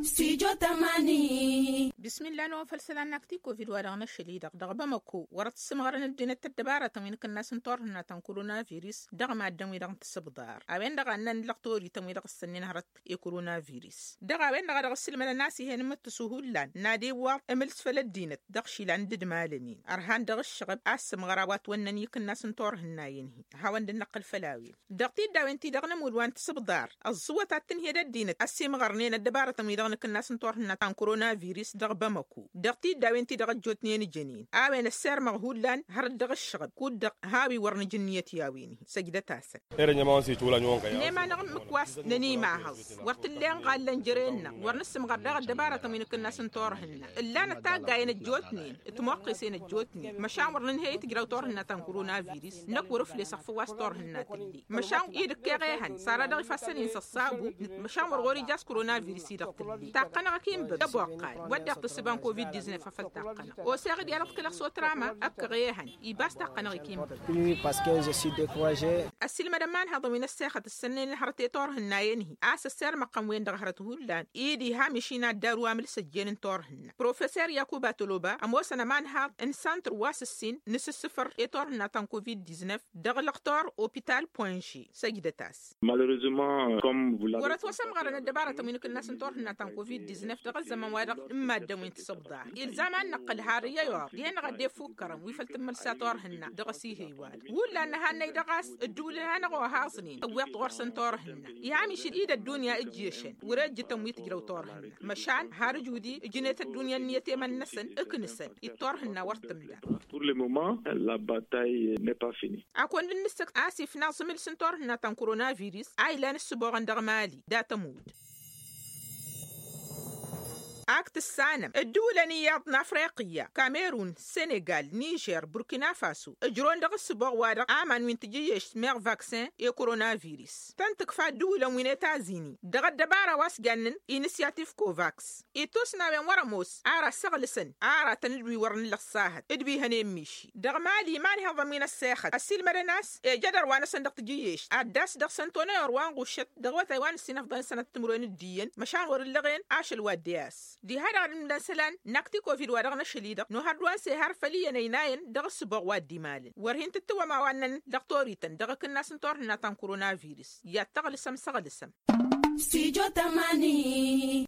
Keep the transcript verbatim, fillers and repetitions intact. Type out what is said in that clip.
Studio tamani. Bismillah n-ăwăfăl isălan n-akti covid wa-dăɣ n-ašăl-i-dăɣ dăɣ-bamăko wăr-ăssǝmɣărăn ăddinăt ăddăbarătăn wi n-akǝnnas n-turhǝnna ta n-korona virus dăɣ-maddǝn-wi-dăɣ n-tisǝbḍar a-wen-dăɣ a ǝnnăn lăqtor-ităn wi-dăɣ ǝssănnen hărăt i-korona virus. Dăɣ-a-wen-dăɣ a dăɣ-ǝssǝlmădăn a-s ih'-en imǝttǝsu hullan n-ad-iwwăḍ imǝlǝs făll-ăddinăt dăɣ-išilan d-idmalăn-in ărhan dăɣ-ǝššăɣăb a ǝssǝmɣăr a-wa ătwănnăn i-akǝnnas n-turhǝnna-en-hi. Hawăn-dd-năqqǝl făll-a-wen dăɣ-tiddawen-ti-dăɣ n-ămudd wa n-tisǝbḍar ăẓẓǝwăt ad-tǝnhǝyăd ăddinăt ăsimɣărnen ăddăbarătăn-wi-dăɣ n-akǝnnas n-turhǝnna ta n-korona virus dăɣ-bamăko dăɣ-tiddawen-ti-dăɣ ăjjootnen ǝjănen. A-wen ăssirmăɣ hullan hărăt dăɣ-ǝššăɣăb kud-dăɣ hawăn-i wăr nǝja ǝnniyăt i-a-wen-hi săjdăt-asăn. Ere n-ema-năɣ ǝmmǝk wa s-nănimahăẓ wăr t-ǝllen ɣallăn jere-năɣ wăr nǝssǝmɣăr daɣ ăddăbarătăn wi n-akǝnnas n-turhǝnna ǝllanăt taggayen ăjjootnen d-timoqqesen ăjjootnen măšan wăr nǝnhăy i-tǝjraw turhǝnna ta n-korona virus năkk wăr-ǝflesăɣ făw a-s turhǝnna tǝlle. Măšan idǝkkeɣ ehăn sara dăɣ-ifassăn-in s-ăṣṣabu. Măšan wăr ɣur-ija a-s korona virus-i-dăɣ tǝlle taqqănăɣ-ăkk inbăb d-ăboqqal wădden tǝssǝba n-covid-diznef a făl taqqănăɣ oseɣ-dd i-ad-ăḍkălăɣ s-otrama. Ăkkăɣ ehăn ibas taqqănăɣ-ik inbăb. Ăssiilmădăn imanhaḍăn wi n-ăssexăt ǝssănnen hărăt i-turhǝnna-en-hi a-s ăssirmăɣ-tăn-wen-dăɣ hărăt hullan. Ed iha miši n-ad-daru amǝl s-ăjjeen n-turhǝnna professer yakuba toloba ămoosăn ămanhaḍ n-santr wa s-ǝssin n-asǝssǝfăr i-turhǝnna ta n-covid-diznef dăɣ-lăqtor opital poinži. Săjdăt-as. Wăr-ătwăsămɣărăn ăddăbarătăn wi n-akǝnnas n-turhǝnna ta n-covid-diznef dăɣ-ăzzăman-wa-dăɣ n-maddǝn wi n-tisǝbḍar ilzam ad-năqqǝl har iyyăy orr dihen-dăɣ a dd-ifukkărăn wi făl tǝmmǝl s-a turhǝnna dăɣ-asihăy-wa-dăɣ hullan nǝhannăy dăɣ-a-s ǝddǝwǝlăn hanăɣ-ohaẓnen ăwweḍ-t ɣur-săn turhǝnna. Iha mišǝl-i d-ăddunya ǝjješăn wăr-e ǝjjǝtăn wi tǝjrăw turhǝnna măšan har ǝjudi ǝjnet ăddunya ǝnniyăt i-iman-năsăn ǝknǝsăn-dd turhǝnna wăr tǝmda. Pur le moment la bataille ne pas fini. Ad-kăwăn-dd-nǝssǝkt a-s ifnaẓ imǝls n-turhǝnna ta n-korona virus a ilan ǝssǝboɣăn dăɣ-mali dat-ămudd. Ak tǝssanăm ǝddǝwǝlăn iyyăḍ n-afriqiyya kamerun senegal nižer burkina faso ǝjrăwăn dăɣ-ǝssǝboɣ-wa-dăɣ aman wi n-tijǝjježt meɣ vaksin i-korona virus tăn-tǝkfa ǝddǝwǝlăn wi n-etazini dăɣ-ăddăbara wa s-jannen inisyatif kovaks. Ittus n-a-wen wăr-ămoos ara ăssăɣlǝsăn aratăn d-wi wăr nǝllăɣ s-ahăt d-wi hănen miši dăɣ-mali imanhăḍăn wi n-ăssexăt ăssiilmădăn a-s ejădăr wa-năsăn dăɣ-tijǝjježt ad-dd-as dăɣ-săn tonăyor wa n-ɣuššăt dăɣ-awătay wa n-ǝssin afḍăn-săn ad-t-timǝrwen d-iyyăn măšan wăr-ǝllăɣen ašăl wa dd-e-as. Diha-dăɣ ad-ǝmmǝlăn isălan n-akti covid wa dăɣ-năšăl-i-dăɣ nohăr d-wa n-sehar făll-iyyăn ăynayăn dăɣ-ǝssǝboɣ wa dd-imalăn wăr hin-tǝttǝwăm a-wa ǝnnăn lăqtor-ităn dăɣ-akǝnnas n-turhǝnna ta n-korona virus. I-ad-tăɣlǝsăm săɣlǝsăm. Studio tamani.